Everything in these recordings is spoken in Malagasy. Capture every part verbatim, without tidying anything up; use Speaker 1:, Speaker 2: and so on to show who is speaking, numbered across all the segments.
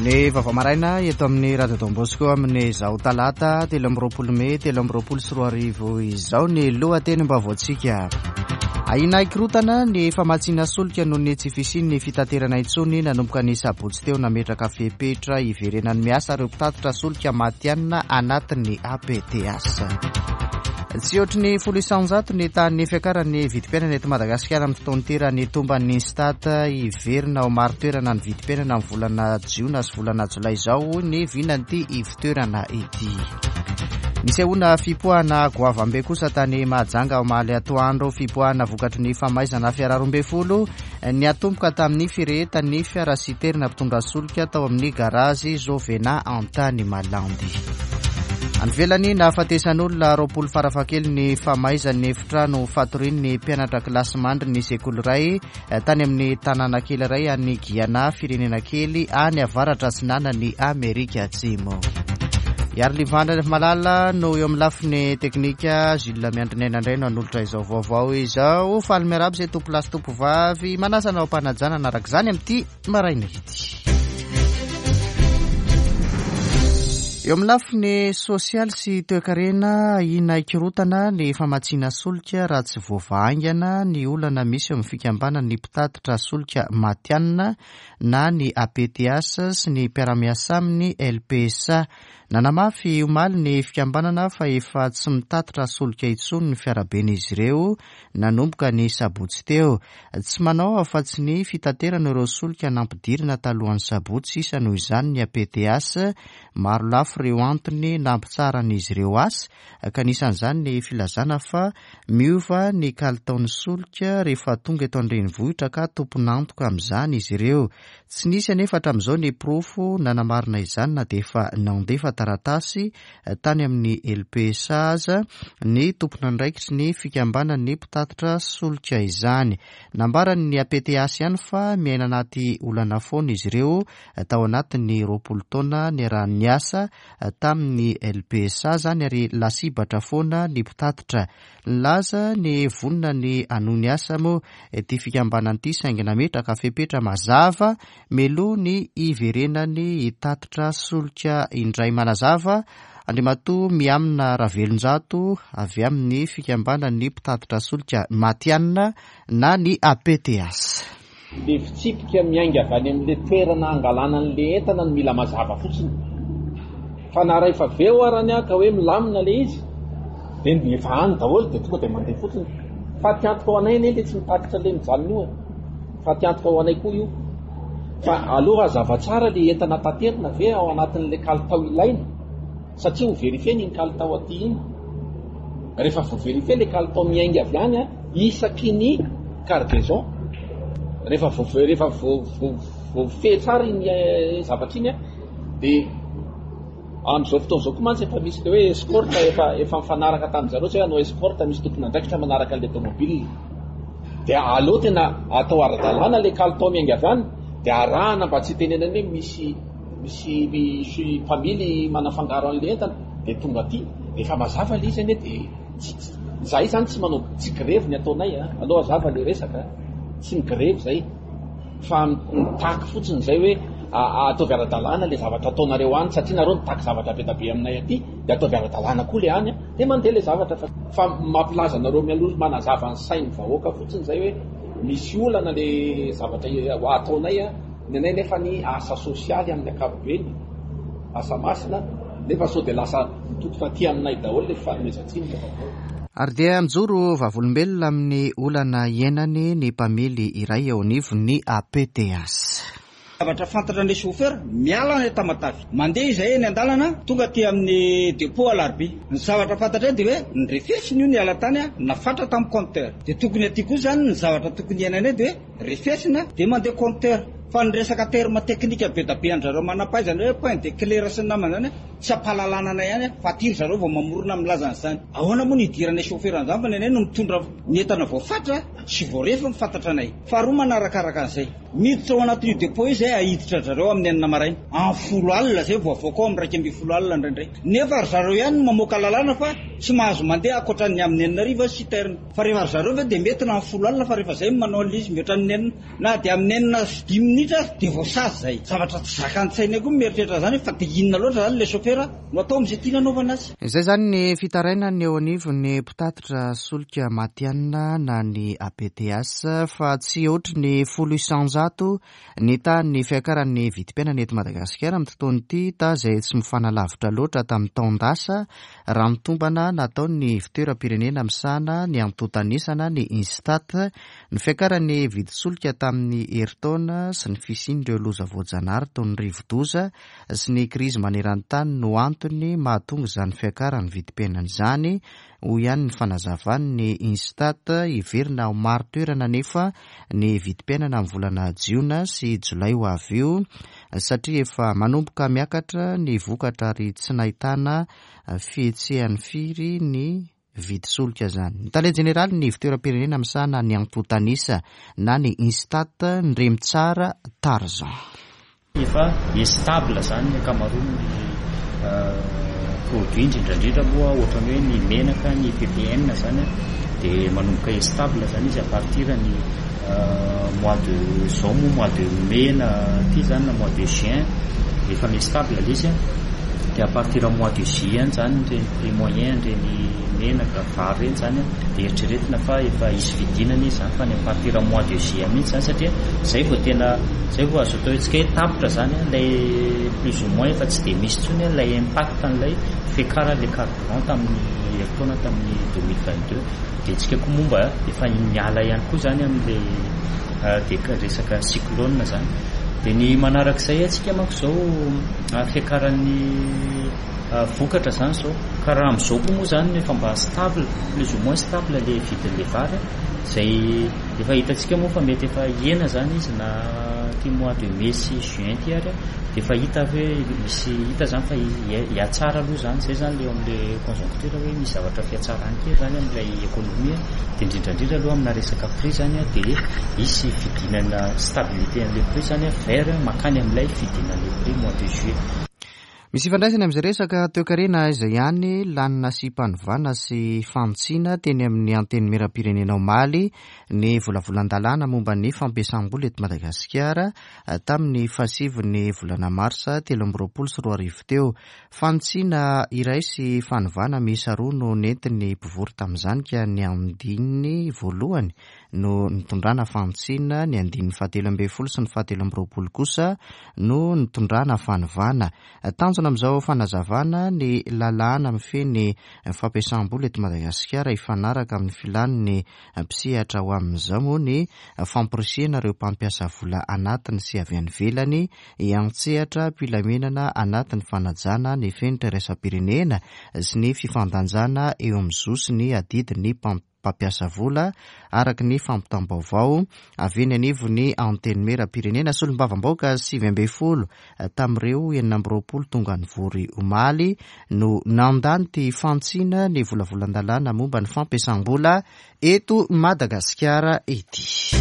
Speaker 1: Ny vaovao maraina eto amin'ny Radio Don Bosco amin'izao talata telo amby roapolo mey telo amby roapolo sy roa arivo izao ny lohatenim-baovaontsika. Ahiana hikorotana ny famatsiana solika noho ny tsy fisian'ny fitaterana intsony nanomboka ny sabotsy teo. Nametraka fepetra hiverenany miasa ireo mpitatitra solika matihanina anatin'ny A P T H. Tsy ohatry ny folo isanjato ny tahan'ny fiakaran'ny vidim-piainana eto Madagasikara amin'ny fotoan-tera ny tomban'ny Instat. Hiverina ao marin-toerana ny vidim-piainana amin'ny volana jiona sy volana jolay izao ny vinan'ity ivontoerana ity. Nisehoana fipoahana goavambe kosa tany Mahajanga omaly atoandro, fipoahana vokatry ny famaizana fiara roa ambin'ny folo ny atomboka tamin'ny firehetan'ny fiara citerne mpitondra solika tao amin'ny garazy Jovena Antany Malandy. Any ivelany, nahafatesan'olona roapolo farafakely ny famaizan'ny efitrano fatorian'ny mpianatra kilasimandry ny sekoly iray tany amin'ny tanàna kely iray any Guyana, firenena kely any avaratra atsinanany Amerika Atsimo. Iary Livandra Malala no eo amin'ny lafiny teknika, Gilles Miandrinena indray no anolotra izao vaovao izao. Faly miarahaba izay tompo lahy sy tompo vavy, manasa anao am-panajana araka izany amin'ity maraina ity. Eo amin'ny lafiny sosialy sy toekarena, ahiana hikorotana ny famatsiana solika raha tsy voavaha haingana ny olana misy eo amin'ny fikambanan'ny mpitatitra solika matihanina na ny A P T H sy ny mpiara-miasa amin'ny L P S A. Nanamafy omaly ny fikambanana fa efa tsy mitatitra solika intsony ny fiaraben'izy ireo nanomboka ny sabotsy teo. Tsy manao afa-tsy ny fitaterana ireo solika nampidirina talohan'ny sabotsy sisa noho izany ny A P T H. Maro lafy ireo antony nampitsaharan'izy ireo asa, ka anisan'izany ny filazana fa miova ny kalitaon'ny solika rehefa tonga eto an-drenivohitra ka tompon'antoka amin'izany izy ireo. Tsy nisy anefa hatramin'izao ny porofo nanamarina izany na dia efa nandefa taratasy tany amin'ny L P S A aza ny tompon'andraikitry ny fikambanan'ny mpitatitra solika izany. Nambarany ny A P T H ihany fa miaina anaty olana foana izy ireo tao anatin'ny roapolo taona niarahan'ny asa tamin'ny L P S A zany, ary lasibatra foana ny mpitatitra. Nilaza ny vonona ny hanohy ny asa moa ty fikambanana ity, saingy nametraka fepetra mazava mialoha ny hiverenany hitatitra solika indray. Manazava Andriamatoa Miamina Ravelonjato avy amin'ny fikambanan'ny mpitatitra solika matihanina na ny A P T H.
Speaker 2: Le fitsipika miainga avy any amin'le toerana angalana an'le entana no mila mazava fotsiny, fa na rehefa aveo arany a ka hoe milamina le izy de efa any daholo de tonga de mandeha fotsiny. Fa tiantoka ho anay anie le tsy mitatitra le mijanona io e, fa tiantoka ho anay koa io. Fa aloha hazava tsara le entana taterina ve ao anatin'le kalitao ilaina, satria ho vérifier-na iny kalitao aty iny. Rehefa voavérifie le kalitao miainga avy any a isaky ny cargaison, rehefa vo rehefa voafehy tsara iny zavatra iny a de am'izao fotoana zao koa mantsy efa misy le hoe escorte, efa efa mifanaraka tamin'zareo tsy hoe anao escorte, misy tompon'andraikitra manaraka an'le tomobile. De aleo tena atao ara-dalàna le kalitao miainga avy any, de arahana mba tsy hitenenany hoe misy misy misy mpamily manafangaro an'le entana de tonga aty. Efa mazava le izy anie, de zahay zany tsy manao, tsy grevy ny ataonay a. Aloha azava le resaka, tsy migrevy zay fa mitaky fotsiny zay hoe ataovy ara-dalàna le zavatra ataonareo any, satria nareo mitaky zavatra be da be aminay aty, de ataovy ara-dalàna koa le any a de mandeha le zavatra. fa fa mampilaza anareo mialoha, manazava ny sainy vahoaka fotsiny zay hoe misy olana le zavatra ataonay a. Ny anay nefa ny asa sosialy amin'ny ankapobeny, asa masina, nefa sao de lasa mitotoka aty aminay daholo le fanomezan-tsiny rehefa avy eo.
Speaker 1: Ary dia mijoro vavolombelona amin'ny olana iainany ny mpamily iray eo anivon'ny A P T H.
Speaker 3: Zavatra fantatra an'le chauffeur miala any Tamatavy, mandeha izay eny an-dalana, tonga aty amin'ny dépôt Alarobia, ny zavatra fantatra eny de hoe ny refesiny io niala tany a nafatra tamin'ny compteur, de tokony aty koa zany ny zavatra tokony iainana de hoe refesina de mandeha compteur. Fa ny resaka terme technique be da be andrareo manam-pahaizana hoe point de clair sy ny namana zany tsy ampahalalana anay ihany, fa aty ry zareo vao mamorona milaza an'izany. Ahoana moa ny idiranay chauffeur an'izany, fa ny anay no mitondra ny entana voafatra sy voarefy, mifantatra anay. Faharoa manarakaraka an'izay Miditra ao anatin'io dépôt io zay ahiditra zareo amin'ny enina maraina. Amin'ny folo alina zay vao avoaka ao amin'ny iraika ambin'ny folo alina indraindray. Nefa ry zareo ihany no mamoaka lalàna fa tsy mahazo mandeha ankoatran'ny amin'ny enina hariva citerne. Fa rehefa ry zareo ve dia mety na amin'ny folo alina fa rehefa zay manao an'ilay izy mihoatra ny enina na dia amin'ny enina sy dimy minitra dia voasazy zay. Zavatra tsy zakan-tsaina koa mieritreritra zany fa dia inona loatra zany ilay chauffeur no atao amin'izay tiana anaovana azy.
Speaker 1: Izay zany ny fitarainany eo anivon'ny mpitatitra solika matihanina na ny A P T S fa tsy ohatry ny folo isanjato ny tahan'ny fiakaran'ny vidim-piainana eto Madagasikara amin'ity taona ity, ta izay tsy mifanalavitra loatra tamin'ny taon-dasa raha mitombana nataon'ny fitoeram-pirenena misahana ny antontan'isana ny Instat. Ny fiakaran'ny vidin-tsolika tamin'ny herintaona sy ny fisian'ireo loza voajanahary toy ny rivodoza sy ny krizy maneran-tany no antony mahatonga izany fiakaran'ny vidim-piainana izany, hoy ihany ny fanazavan'ny Instat. Hiverina ho maro toerana nefa ny vidim-piainana amin'ny volana jiona sy jolay ho avy io, satria efa manomboka miakatra ny vokatra ary tsy nahitana fihetsehany firy ny vidin-tsolika izany. Ny tale jeneraly ny fitoeram-pirenena misahana ny antontan'isa na ny Instat, Ndremitsara Tarzan.
Speaker 4: Efa stable zany ny ankamaroan'ny produit, indrindra indrindra moa ohatran'ny hoe ny menaka, ny P P N zany dia manomboka stable zany izy à partir ny mois de zao moa, mois de mai na ty zany na mois de juin efa mi-stable ilay izy. Dia à partir mois de juillet zany ireny prix moyen ireny menaka vary ireny zany dia eritreretina fa efa hisy fidinana izy zany, fa ny à partir mois de juillet mihitsy zany, satria zay vao tena zay vao azo atao hoe tsika hoe tapitra zany ilay plus ou moins efa tsy dia misy intsony ilay impact an'ilay fiakaran'ilay carburant tamin'ny herintaona tamin'ny deux mille vingt-deux. Dia tsika koa moa mba efa miala ihany koa zany amin'ilay dia resaka cyclone zany. Dia ny manarak'izay antsika manko izao fiakaran'ny vokatra zany izao, ka raha amin'izao koa moa zany efa mba stable, plus ou moins stable ilay vidin'ilay vary, izay efa hitantsika moa fa mety efa hihena zany izy na ty mois de mai sy juin ty ary, dia efa hita hoe misy hita zany fa hiatsara aloha zany. Zay zany ilay eo amin'ilay conjoncture hoe misy zavatra fiatsarany kely zany amin'ilay économie, dia indrindra indrindra aloha amina resaka prix zany dia hisy fidinana stabilité an'ilay prix zany vers makany amin'ilay fidinan'ilay prix mois de juillet.
Speaker 1: Misy ifandraisany amin'izay resaka toekarena izay ihany, lanina sy mpanovana sy fantsina teny amin'ny antenimieram-pirenena omaly ny volavolan-dalàna momba ny fampiasam-bola eto Madagasikara tamin'ny fahasivin'ny volana marsa telo amby roapolo sy roa arivo teo. Fantsina iray sy fanovana miisa roa no nentin'ny mpivory tamin'izany, ka ny andininy voalohany no nitondrana fantsina, ny andininy fahatelo ambin'ny folo sy ny fahatelo amby roapolo kosa no nitondrana fanovana. Tanjona amin'izao fanazavana ny lalàna mifehy ny fampiasam-bola eto Madagasikara hifanaraka amin'ny filan'ny mpisehatra ho amin'izao moa ny famporisihana ireo mpampiasa vola anatiny sy avy any ivelany hiantsehatra am-pilaminana anatin'ny fanajana ny fenitra iraisam-pirenena sy ny fifandanjana eo amin'ny zo sy ny adidin'ny mpampiasa vola araka ny fampitam-baovao avy eny anivon'ny antenimieram-pirenena. Solombavambahoaka sivy ambin'ny folo tamin'ireo enina amby roapolo tonga nivory omaly no nandany ty fantsina ny volavolan-dalàna momba ny fampiasam-bola eto Madagasikara ity.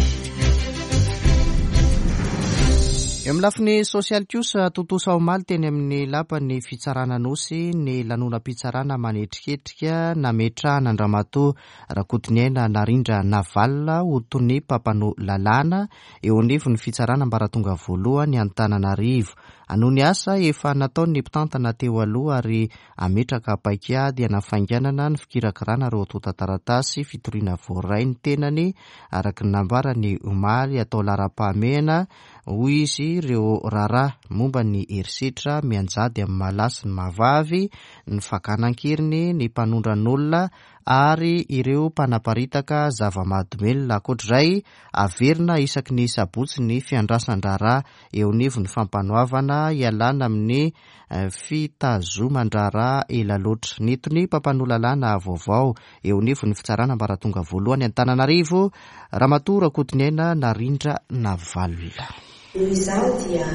Speaker 1: Eo amin'ny lafiny sosialy kosa, tontosa omaly teny amin'ny lapan'ny fitsarana Anosy ny lanonam-pitsarana manetriketrika nametrahana an-dRamatoa Rakotoniaina Narindra Navalona ho tonia mpampanoa lalàna eo anivon'ny fitsarana ambaratonga voalohany Antananarivo. Hanohy ny asa efa nataon'ny mpitantana teo aloha ary hametraka paikady hanafainganana ny fikirakirana ireo antontan-taratasy fitoriana voaray ny tenany araka ny nambarany omaly. Atao laharam-pahamehana hoy izy ireo raharaha momba ny herisetra mianjady amin'ny malahy sy ny mahavavy, ny fakana an-keriny, ny mpanondran'olona ary ireo mpanaparitaka zava-mahadomelina. Ankoatr'izay, averina isaky ny sabotsy ny fiandrasan-draharaha eo anivon'ny fampanoavana hialana amin'ny fitazoman-draharaha ela loatra. Ny tonia mpampanoa lalàna vaovao eo anivon'ny fitsarana ambaratonga voalohany Antananarivo, Ramatoa Rakotoniaina Narindra Navalona.
Speaker 5: Noho izany dia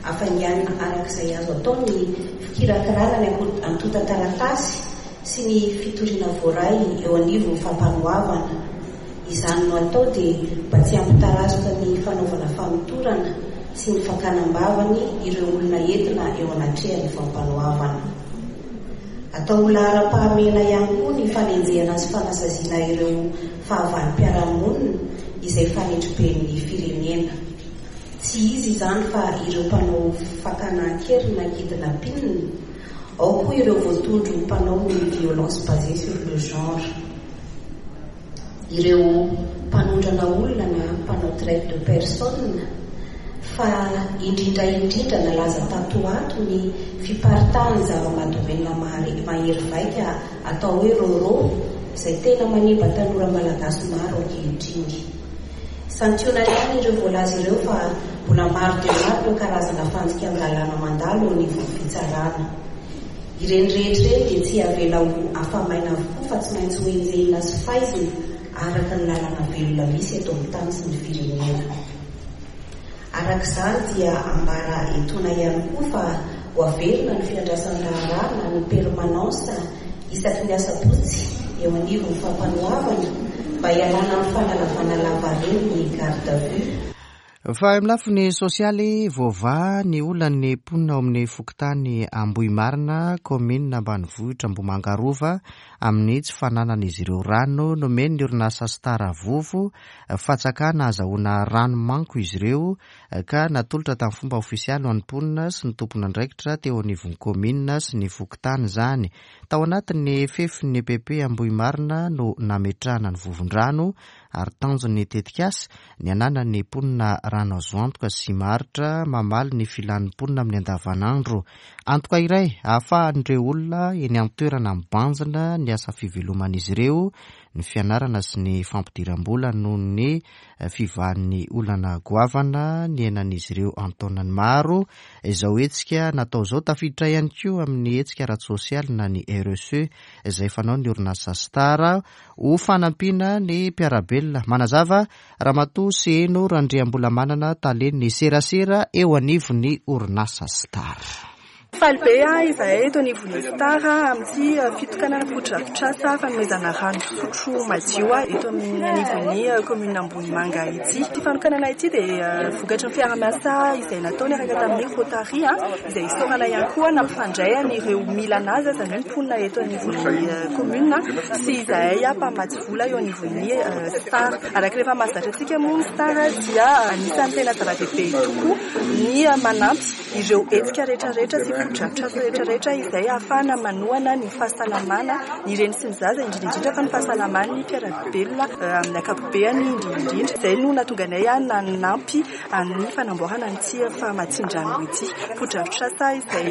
Speaker 5: afainganina araka izay azo atao ny fikirakirana ny antontan-taratasy sy ny fitoriana voaray eo anivon'ny fampanoavana. Izany no atao dia mba tsy hampitarazoka ny fanaovana famotorana sy ny fakana am-bavany ireo olona entina eo anatrehan'ny fampanoavana. Atao ho laharam-pahamehana ihany koa ny fanenjehana sy fanasaziana ireo fahavalom-piarahamonina izay fanetriben'ny firenena. Tsy iza izany fa ireo mpanao fakana an-keriny na kidnapping, ao koa ireo voatondro mpanao ny violence basée sur le genre, ireo mpanondrana olona na mpanao traite de personne, fa indrindra indrindra nalaza tato ho ato ny fiparitahan'ny zava-mahadomelina mahery vaika atao hoe roro, izay tena manimba tanora malagasy maro ankehitriny. Santionany ihany ireo voalaza ireo fa mbola maro dia maro ireo karazana fandikan-dalàna mandalo eo anivon'ny fitsarana. Ireny rehetra ireny dia tsy avela ho afa-maina avokoa fa tsy maintsy hoenjehina sy faizina araka ny lalàna velona misy eto amin'ny tany sy ny firenena. Araka izany dia ambara etoana ihany koa fa ho averina ny fiandrasan-draharaha na ny permanence isaky ny asabotsy eo anivon'ny fampanoavana mba hialana amin'ny fanalavana lavareny ny garde à vue.
Speaker 1: Fa amin'ny lafiny sosialy, voavaha ny olan'ny mponina ao amin'ny fokontany Ambohimarina, kaominina ambanivohitra Ambohimanga Rova, amin'ny tsy fananan'izy ireo rano. Nomen'ny orinasa Star Vovo fatsakana ahazahoana rano manko izy ireo ka natolotra tamin'ny fomba ofisialy ho an'ny mponina sy ny tompon'andraikitra teo anivon'ny kaominina sy ny fokontany izany. Tao anatin'ny fefin'ny E P P Ambohimarina no nametrahana ny vovon-drano ary tanjon'ny tetikasa ny ananan'ny mponina rano azo antoka sy maharitra mamaly ny filan'ny mponina amin'ny andavanandro. Antoka iray ahafahan'ireo olona eny an-toerana mibanjina ny asa fiveloman'izy ireo, ny fianarana sy ny fampidiram-bola noho ny fivahan'ny olana goavana niainan'izy ireo an-taonany maro. Izao hetsika natao izao tafiditra ihany koa amin'ny hetsika ara-tsosialy na ny R S E izay fanao ny orinasa Star ho fanampiana ny mpiara-belona. Manazava Ramatoa Seno Randriambolamanana, talen'ny serasera eo anivon'ny orinasa Star.
Speaker 6: Faly be a izahay eto anivon'ny Star amin'ity fitokanana fotodrafitrasa fanomezana rano fisotro madio eto amin'ny anivon'ny commune Ambohimanga ity. Ity fanokanana ity dia vokatry ny fiaraha-miasa izay natao niaraka tamin'ny Rotary, izay isaorana ihany koa nampifandray an'ireo mila anazy, izany hoe mponina eto anivon'ny commune sy izahay mpamatsy vola eo anivon'ny Star. Araka rehefa mahazatra antsika moa, ny Star dia anisan'ny tena zava-dehibe tokoa ny manampy ireo hetsika rehetrarehetra sy fotodrafitrasa rehetrarehetra izay ahafahana manohana ny fahasalamana ny reny sy ny zaza, indrindra indrindra fa ny fahasalaman'ny mpiara-belona amin'ny ankapobeany indrindra indrindra. Izay no nahatonga anay nanampy amin'ny fanamboarana an'ity famatsian-drano ity, fotodrafitrasa izay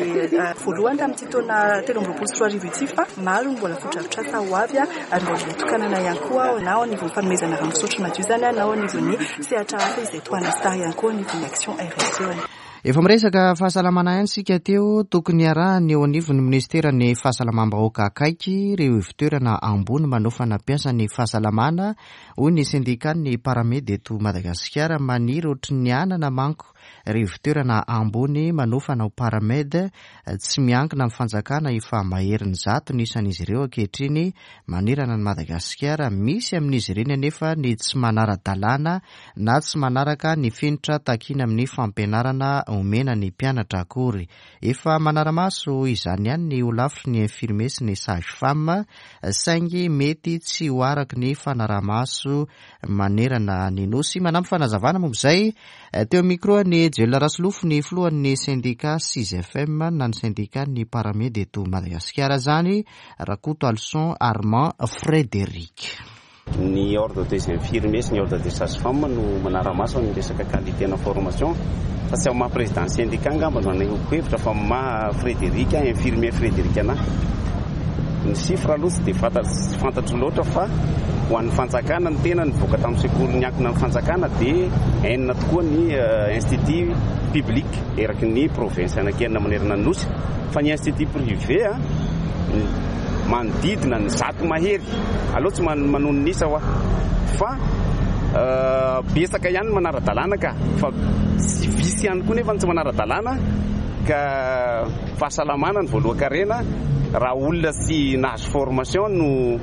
Speaker 6: voalohany tamin'ity taona telo amby roapolo sy roa arivo ity, fa maro ny mbola fotodrafitrasa ho avy ary mbola tokanana ihany koa, na ao anivon'ny fanomezana rano fisotro madio izany, na ao anivon'ny sehatra hafa izay tohanan'ny Star ihany koa anivon'ny action R S E.
Speaker 1: Efa miresaka fahasalamana ihany sika teo. Tokony arahany eo anivon'ny ministera ny fahasalamam-bahoaka akaiky ireo ivontoerana ambony manofana mpiasa ny fahasalamana, hoy ny syndicat-n'ny paramed eto Madagasikara. Maniry ohatry ny anana manko ireo ivontoerana ambony manofana ho paramed tsy miankina amin'ny fanjakana. Efa maherin'ny zato ny isan'izy ireo ankehitriny manerana ny Madagasikara. Misy amin'izy ireny anefa ny tsy manara-dalàna na tsy manaraka ny fenitra takiana amin'ny fampianarana omena ny mpianatra akory. Efa manara-maso izany ihany ny holafitry ny infirmier sy ny sage femme, saingy mety tsy ho araky ny fanarahamaso manerana ny nosy. Manampy fanazavana momba izay teo micro ny Joel Rasolofo ny filohan'ny syndicat S I S F M na ny syndicat ny paramed eto Madagasikara zany, Rakoto Alson Armand Frédéric.
Speaker 7: Ny ordre des infirmiers sy ny ordre des sages femmes no manara-maso ny resaka qualité na formation, fa tsy ao maha président syndicat angamba no anehoako hevitra, fa maha Frédéric, infirmier Frédéric anahy. Ny chiffre aloha tsy de fantatro fantatro loatra, fa ho an'ny fanjakana, ny tena nivoaka tamin'ny sekoly niankina amin'ny fanjakana de enina tokoa ny institut public eraky ny province anankienina manerana ny nosy, fa ny institut privé a manodidina ny zato mahery aloha. Tsy manonona isa ho a, fa betsaka ihany manara-dalàna ka, fa tsy visy ihany koa nefa ny tsy manara-dalàna ka. Fahasalamana ny voalohan-karena. Raha olona sy nahazo formation no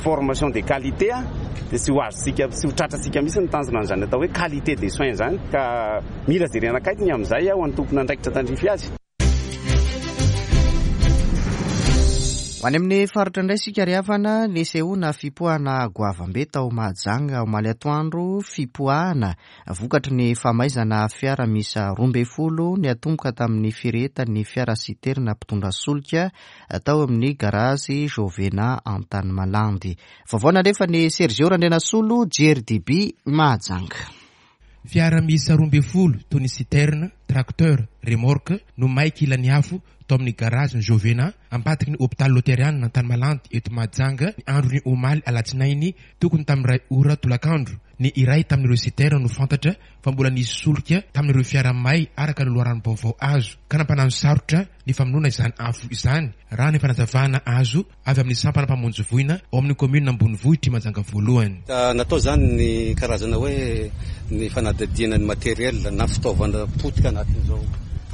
Speaker 7: formation de qualité a Dia tsy ho azontsika, tsy ho tratrantsika mihitsy ny tanjona an'izany atao hoe qualité des soins izany, ka mila jerena akaiky ny amin'izay ho an'ny tompon'andraikitra tandrify azy.
Speaker 1: Ho any amin'ny faritra indray isika ry havana, nisehoana fipoahana goavambe tao Mahajanga omaly atoandro, fipoahana vokatry ny famaizana fiara miisa roa ambin'ny folo niatomboka tamin'ny firehetan'ny fiara citerne mpitondra solika tao amin'ny garazy Jovena Antanimalandy. Vaovao nalefa ny Sergio Randrianasolo, J R D B Mahajanga.
Speaker 8: Fiara miisa roa ambin'ny folo toy ny citerne, tracteur, remorque no maiky ilany afo tao amin'ny garazy Jovena ambadiky ny hôpitaly Loteriana Antanimalandy eto Mahajanga ny androny omaly alatsinainy tokony tamin'ny iray ora tolakandro. Ny iray tamin'ireo citerne no fantatra fa mbola nisy solika tamin'ireo fiara may araka ny loharanom-baovao azo, ka nampanano sarotra ny famonoana izany afo izany raha ny fanazavana azo avy amin'ny sampana mpamonjy voina ao amin'ny commune ambonivohitr'i Mahajanga voalohany.
Speaker 9: Natao zany ny karazana hoe ny fanadihadiana ny matériel na fitaovana potika anatin'izao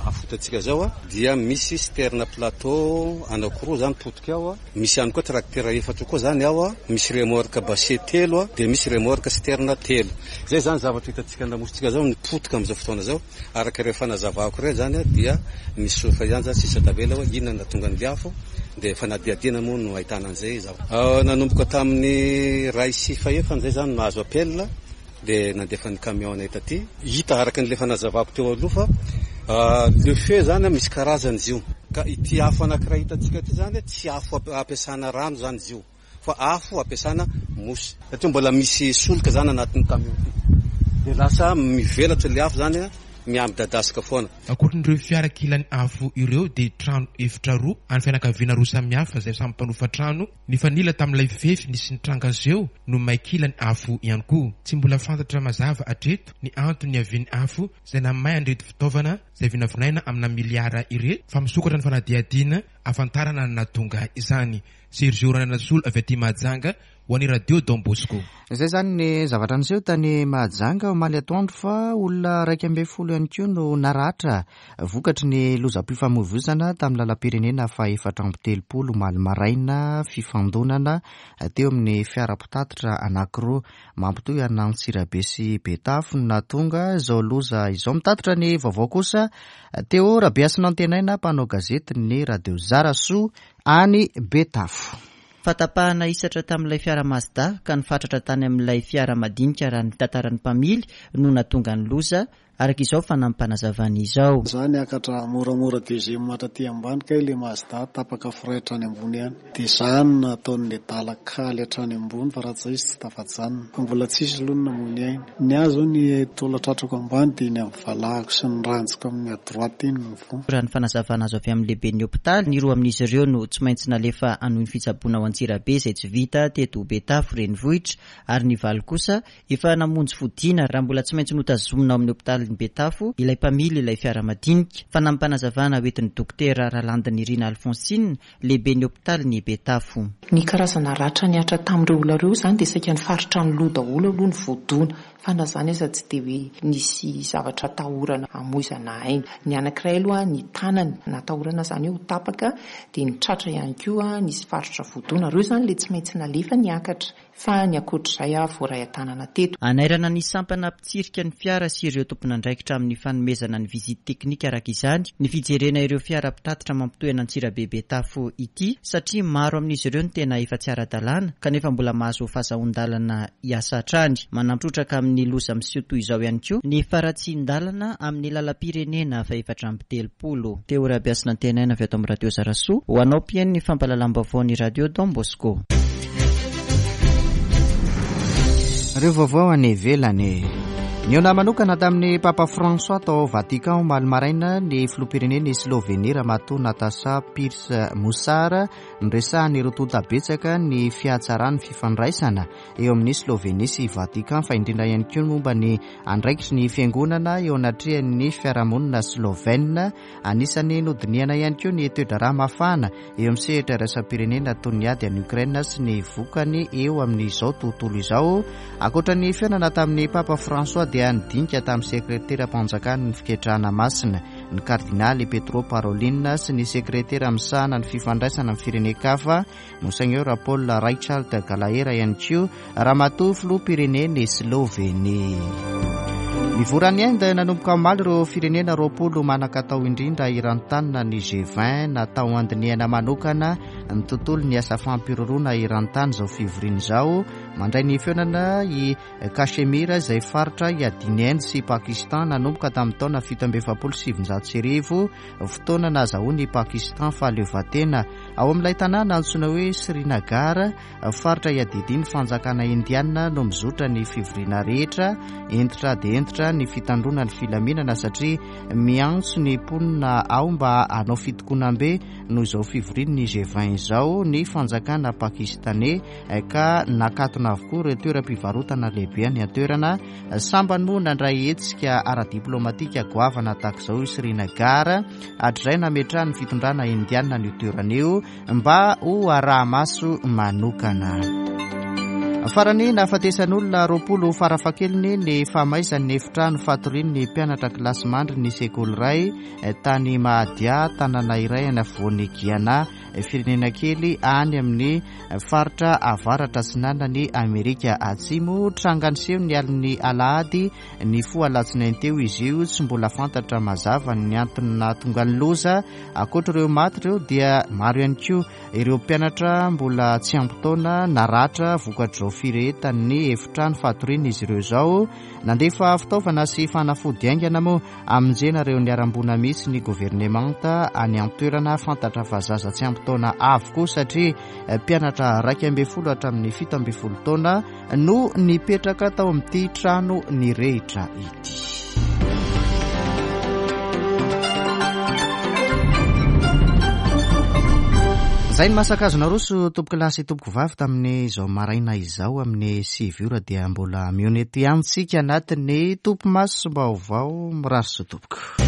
Speaker 9: afo hitantsika zao, dia misy citerne plateau anankiroa zany potika ao, misy ihany koa tracteur efatra koa zany ao, misy remorque bâché telo, dia misy remorque citerne telo. Zay zany zavatra hitantsika an-damositsika zao ny potika amin'izao fotoana zao. Araka ireo fanazavako ireo zany dia misy solika ihany zany sisa tavela hoe inona no nahatonga ny afo, dia fanadihadiana moa no ahitana an'izay zavatra. Nanomboka tamin'ny iray sy fahefany zay zany nahazo appel, dia nandefa ny camion anay taty. Hita araka n'ilay fanazavako teo aloha fa le feu zany misy karazany izy io, ka ity afo anankiray hitantsika ity zany tsy afo ampiasana rano zany izy io, fa afo ampiasana mosy, satria mbola misy solika zany anatin'ny camion ity, dia lasa mivelatra ilay afo zany mihamidadasika foana.
Speaker 8: Ankoatran'ireo fiara kilan'ny afo ireo dia trano efitra roa any fianakaviana roa samihafa izay samy mpanofa trano nifanila tamin'ilay fefy nisy nitranga zeo no may kilan'ny afo ihany koa. Tsy mbola fantatra mazava hatreto ny antony niavian'ny afo izay namay an'ireto fitaovana izay vinavinaina amina miliara ireto, fa misokatra ny fanadihadiana ahafantarana ny nahatonga izany. Sergio Randrianasolo avy aty Mahajanga ho an'ny Radio Don Bosco.
Speaker 1: Izay zany ny zavatra niseho tany Mahajanga omaly atoandro, fa olona iraika ambin'ny folo ihany koa no naratra vokatry ny lozam-pifamoivoizana tamin'ny lalam-pirenena fahaefatra amby telopolo omaly maraina, fifandonana teo amin'ny fiara mpitatitra anankiroa mampitohy an'Antsirabe sy Betafo no nahatonga izao loza izao. Mitatitra ny vaovao kosa Théo Rabeasinantenaina, mpanao gazety ny Radio Zarasoa any Betafo.
Speaker 10: Fatapahana hisatra tamin'ilay fiara Mazda ka nifatratra tany amin'ilay fiara madinika raha ny tantaran'ny mpamily no nahatonga ny loza, araka izao fanampanazavana izao.
Speaker 11: Za niakatra moramora deuxième hatraty ambany ka ilay Mazda tapaka frein hatrany ambony ihany, dia zany nataon'ilay dala kaly hatrany ambony fa raha tsy izy tsy tafajanona, fa mbola tsisy aloha ny namoy aina. Ny ahy zao ny taolan-tratrako ambany dia ny amin'ny valahako sy ny ranjoko amin'ny à droite iny ny voa.
Speaker 10: Raha ny fanazavana azo avy amin'ny lehiben'ny hôpitaly, ny roa amin'izy ireo no tsy maintsy nalefa hanohy ny fitsaboana ao Antsirabe izay tsy vita teto Betafo renivohitra, ary ny valo kosa efa namonjy fodiana raha mbola tsy maintsy notazomina ao amin'ny hôpitaly Betafo ilay mpamily ilay fiara madinika. Fanampanazavana hoentin'ny dokotera Ralandinirina Alphonsine, lehiben'ny hôpitaly Betafo.
Speaker 12: Ny karazana ratra nihatra tamin'ireo olona ireo izany dia saika ny faritra ny loha daholo aloha ny voadona, fa na izany aza tsy dia hoe nisy zavatra atahorana hamoizana aina. Ny anankiray aloha ny tanany natahorana izany hoe ho tapaka, dia ny tratra ihany koa nisy faritra voadona. Ireo izany ilay tsy maintsy nalefa niakatra, fa ny ankoatr'izay aho voaray an-tanana teto.
Speaker 10: Anairana ny sampana mpitsirika ny fiara sy ireo tompon'andraikitra amin'ny fanomezana ny visite teknika araka izany ny fijerena ireo fiara mpitatitra mampitohy an'Antsirabe Betafo ity, satria maro amin'izy ireo no tena efa tsy ara-dalàna kanefa mbola mahazo fahazoan-dalana hiasa hatrany. Manampy trotraka amin'ny loza miseho toy izao ihany koa ny faharatsian-dalana amin'ny lalam-pirenena fahefatra amby telopolo. Théo Rabeasinantenaina avy ato amin'ny Radio Zarasoa ho anao mpihaino ny fampahalalam-baovao ny Radio Don Bosco.
Speaker 1: Ireo vaovao any ivelany. Nihaona manokana tamin'ny Papa François tao Vatican omaly maraina ny filoham-pirenena Slovenia Ramatoa Natasa Pirc Musar, niresahany ireo tonta betsaka ny fihatsaran'ny fifandraisana eo amin'ny Slovenia sy Vatican, fa indrindra ihany koa momba ny andraikitry ny fiangonana eo anatrehan'ny fiarahamonina slovène. Anisan'ny nodinihana ihany koa ny toe-draharaha mafana eo amin'ny sehatra iraisam-pirenena toy ny ady any Ukraine sy ny vokany eo amin'izao tontolo izao. Ankoatra ny fihaonana tamin'ny Papa François dia nidinika tamin'ny sekreteram-panjakan'ny fiketrahana masina ny kardinaly Pietro Parolin sy ny sekretera misahana ny fifandraisana amin'ny firenen-kafa Monseigneur Paul Richard Gallagher, ihany koa ramatoa filoham-pirenena Slovenie. Mivory any Inde nanomboka omaly ireo firenena roapolo manan-katao indrindra eran-tany, ny G vingt. Natao andinihana manokana ny tontolo ny asa fampiroroana eran-tany izao fivoriana izao. Mandray ny fihaonana i Kashmir, izay faritra iadian'i Inde sy Pakistan nanomboka tamin'ny taona fito amby efapolo sy sivinjato sy arivo, fotoana nahazahoan'i Pakistan fahaleovantena. Ao amin'ilay tanàna antsoina hoe Srinagar, faritra iadidian'ny fanjakana indiana, no mizotra ny fivoriana rehetra. Hentitra dia hentitra ny fitandroana ny filaminana satria miantso ny mponina ao mba hanao fitokonam-be noho izao fivorian'ny G vingt izao ny fanjakana pakistanais, ka nakatona avokoa ireo toeram-pivarotana lehibe any an-toerana. Sambany moa nandray hetsika ara-diplomatika goavana tahaka izao i Srinagar hatrizay nametrahan'ny fitondrana indiana ny toerana io mba ho araha-maso manokana. Farany, nahafatesan'olona roapolo farafahakeliny ny fahamaizan'ny efitrano fatorian'ny mpianatra kilasy mandry ny sekoly iray tany Mahadia, tanàna iray any afovoan'ny Guyana, firenena kely any amin'ny faritra avaratra atsinanan'i Amerika Atsimo. Tranga niseho ny alin'ny alahady ny foha alatsinainy teo izy io. Tsy mbola fantatra mazava ny antony nahatonga ny loza. Ankoatra ireo maty ireo dia maro ihany koa ireo mpianatra mbola tsy ampy taona naratra vokatr'izao firehetan'ny efitrano fatoriana izy ireo izao. Nandefa fitaovana sy fanafody haingana moa amonjena ireo niharam-boina mihitsy ny governemanta any an-toerana. Fantatra fa zaza tsy ampy taona avokoa satria mpianatra iraika ambin'ny folo hatramin'ny fito ambin'ny folo taona no nipetraka tao amin'ity trano nirehitra ity. Izay ny masaka azo naroso tompoko lahy sy tompoko vavy tamin'izao maraina izao amin'ny sivy ora dia mbola mihaona eto ihany tsika anatin'ny topimaso vaovao. Mirary soa tompoko.